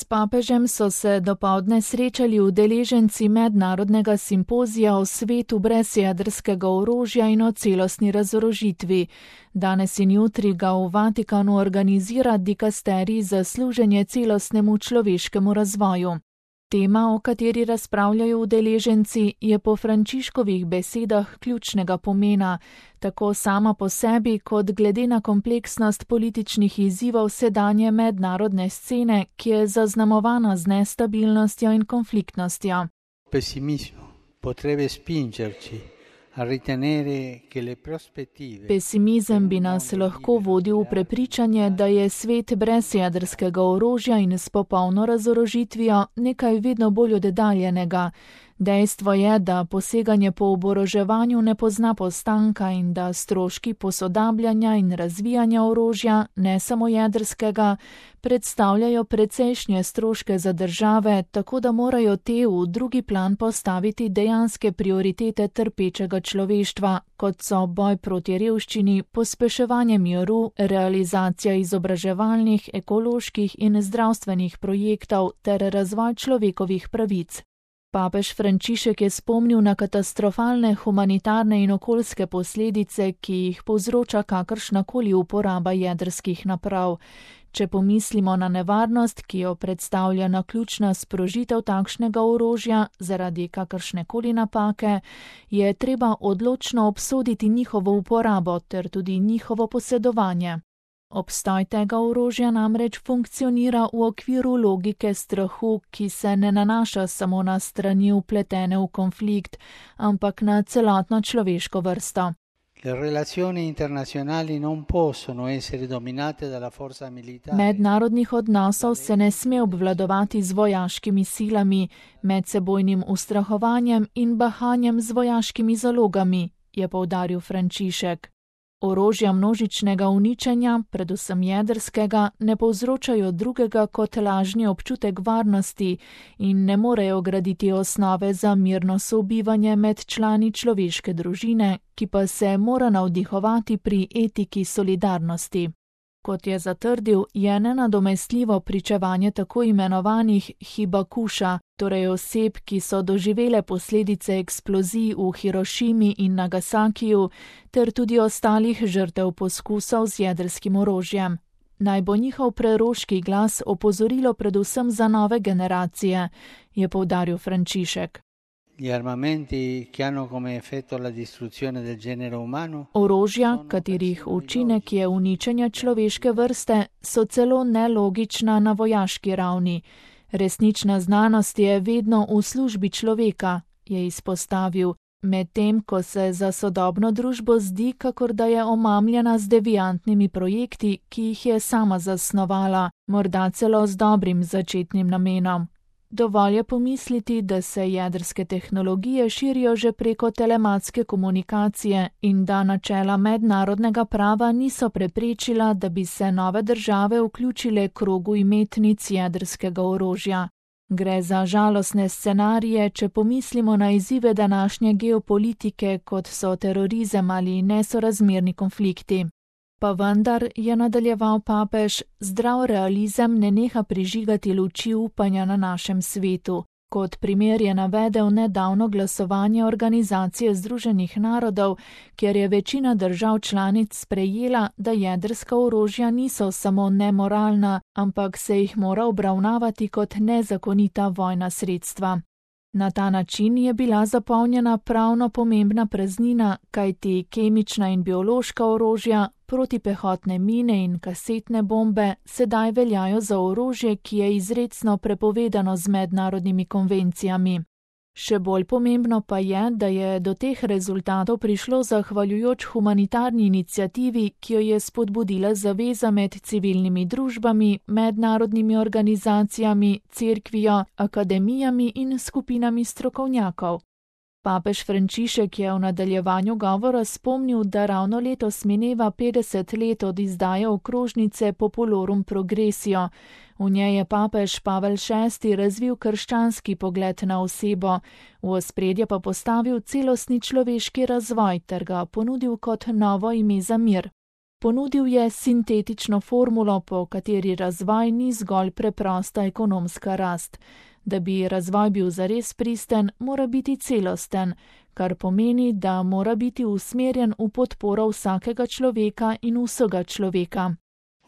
papežem so se dopoldne srečali udeleženci mednarodnega simpozija o svetu brez jedrskega orožja in o celostni razorožitvi. Danes in jutri ga v Vatikanu organizira dikasterij za služenje celostnemu človeškemu razvoju. Tema, o kateri razpravljajo udeleženci, je po Frančiškovih besedah ključnega pomena, tako sama po sebi, kot glede na kompleksnost političnih izzivov sedanje mednarodne scene, ki je zaznamovana z nestabilnostjo in konfliktnostjo. Pesimizem bi nas lahko vodil v prepričanje, da je svet brez jedrskega orožja in s popolno razorožitvijo nekaj vedno bolj oddaljenega. Dejstvo je, da poseganje po oboroževanju ne pozna postanka in da stroški posodabljanja in razvijanja orožja, ne samo jedrskega, predstavljajo precejšnje stroške za države, tako da morajo te v drugi plan postaviti dejanske prioritete trpečega človeštva, kot so boj proti revščini, pospeševanje miru, realizacija izobraževalnih, ekoloških in zdravstvenih projektov ter razvoj človekovih pravic. Papež Frančišek je spomnil na katastrofalne humanitarne in okoljske posledice, ki jih povzroča kakršnakoli uporaba jedrskih naprav. Če pomislimo na nevarnost, ki jo predstavlja naključna sprožitev takšnega orožja zaradi kakršnekoli napake, je treba odločno obsoditi njihovo uporabo ter tudi njihovo posedovanje. Obstoj tega orožja namreč funkcionira v okviru logike strahu, ki se ne nanaša samo na strani vpletene v konflikt, ampak na celotno človeško vrsto. Mednarodnih odnosov se ne sme obvladovati z vojaškimi silami, medsebojnim ustrahovanjem in bahanjem z vojaškimi zalogami, je poudaril Frančišek. Orožja množičnega uničenja, predvsem jedrskega, ne povzročajo drugega kot lažni občutek varnosti in ne morejo graditi osnove za mirno sobivanje med člani človeške družine, ki pa se mora navdihovati pri etiki solidarnosti. Kot je zatrdil, je nenadomestljivo pričevanje tako imenovanih hibakuša, torej oseb, ki so doživele posledice eksplozij v Hirošimi in Nagasakiju, ter tudi ostalih žrtev poskusov z jedrskim orožjem. Naj bo njihov preroški glas opozorilo predvsem za nove generacije, je poudaril Frančišek. Orožja, katerih učinek je uničenje človeške vrste, so celo nelogična na vojaški ravni. Resnična znanost je vedno v službi človeka, je izpostavil, medtem ko se za sodobno družbo zdi, kakor da je omamljena z deviantnimi projekti, ki jih je sama zasnovala, morda celo z dobrim začetnim namenom. Dovolj je pomisliti, da se jedrske tehnologije širijo že preko telematske komunikacije in da načela mednarodnega prava niso preprečila, da bi se nove države vključile krogu imetnic jedrskega orožja. Gre za žalostne scenarije, če pomislimo na izzive današnje geopolitike, kot so terorizem ali nesorazmerni konflikti. Pa vendar, je nadaljeval papež, zdrav realizem ne neha prižigati luči upanja na našem svetu. Kot primer je navedel nedavno glasovanje Organizacije Združenih narodov, kjer je večina držav članic sprejela, da jedrska orožja niso samo nemoralna, ampak se jih mora obravnavati kot nezakonita vojna sredstva. Na ta način je bila zapolnjena pravno pomembna praznina, kajti kemična in biološka orožja, protipehotne mine in kasetne bombe sedaj veljajo za orožje, ki je izrecno prepovedano z mednarodnimi konvencijami. Še bolj pomembno pa je, da je do teh rezultatov prišlo zahvaljujoč humanitarni iniciativi, ki jo je spodbudila zaveza med civilnimi družbami, mednarodnimi organizacijami, cerkvijo, akademijami in skupinami strokovnjakov. Papež Frančišek je v nadaljevanju govora spomnil, da ravno letos mineva 50 let od izdaje okrožnice Populorum Progressio. V njej je papež Pavel VI razvil krščanski pogled na osebo, v ospredje pa postavil celostni človeški razvoj ter ga ponudil kot novo ime za mir. Ponudil je sintetično formulo, po kateri razvoj ni zgolj preprosta ekonomska rast. Da bi razvoj bil zares pristen, mora biti celosten, kar pomeni, da mora biti usmerjen v podporo vsakega človeka in vsega človeka.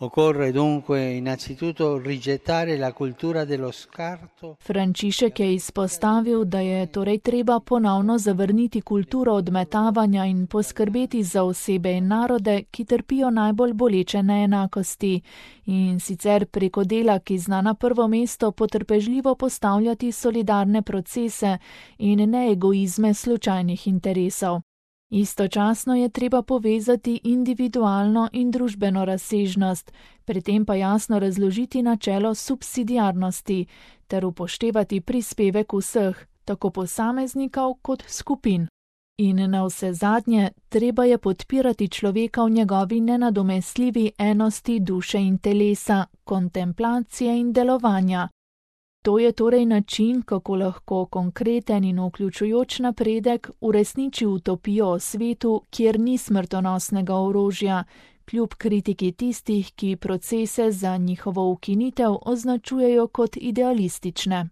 Occorre dunque innanzitutto rigettare la cultura dello scarto. Frančišek je izpostavil, da je torej treba ponovno zavrniti kulturo odmetavanja in poskrbeti za osebe in narode, ki trpijo najbolj boleče neenakosti, in sicer preko dela, ki zna na prvo mesto potrpežljivo postavljati solidarne procese in ne egoizme slučajnih interesov. Istočasno je treba povezati individualno in družbeno razsežnost, pri tem pa jasno razložiti načelo subsidiarnosti ter upoštevati prispevek vseh, tako posameznikov kot skupin. In navsezadnje, treba je podpirati človeka v njegovi nenadomestljivi enosti duše in telesa, kontemplacije in delovanja. To je torej način, kako lahko konkreten in vključujoč napredek uresniči utopijo o svetu, kjer ni smrtonosnega orožja, kljub kritiki tistih, ki procese za njihovo ukinitev označujejo kot idealistične.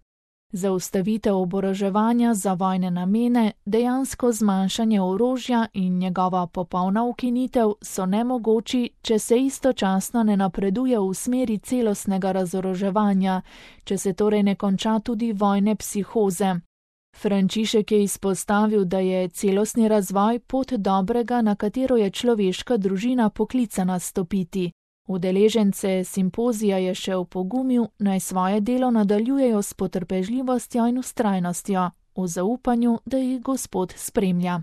Zaustavitev oboroževanja za vojne namene, dejansko zmanjšanje orožja in njegova popolna ukinitev so nemogoči, če se istočasno ne napreduje v smeri celostnega razoroževanja, če se torej ne konča tudi vojne psihoze. Frančišek je izpostavil, da je celostni razvoj pot dobrega, na katero je človeška družina poklicana stopiti. Udeležence simpozija je še opogumil, naj svoje delo nadaljujejo s potrpežljivostjo in vztrajnostjo, v zaupanju, da jih Gospod spremlja.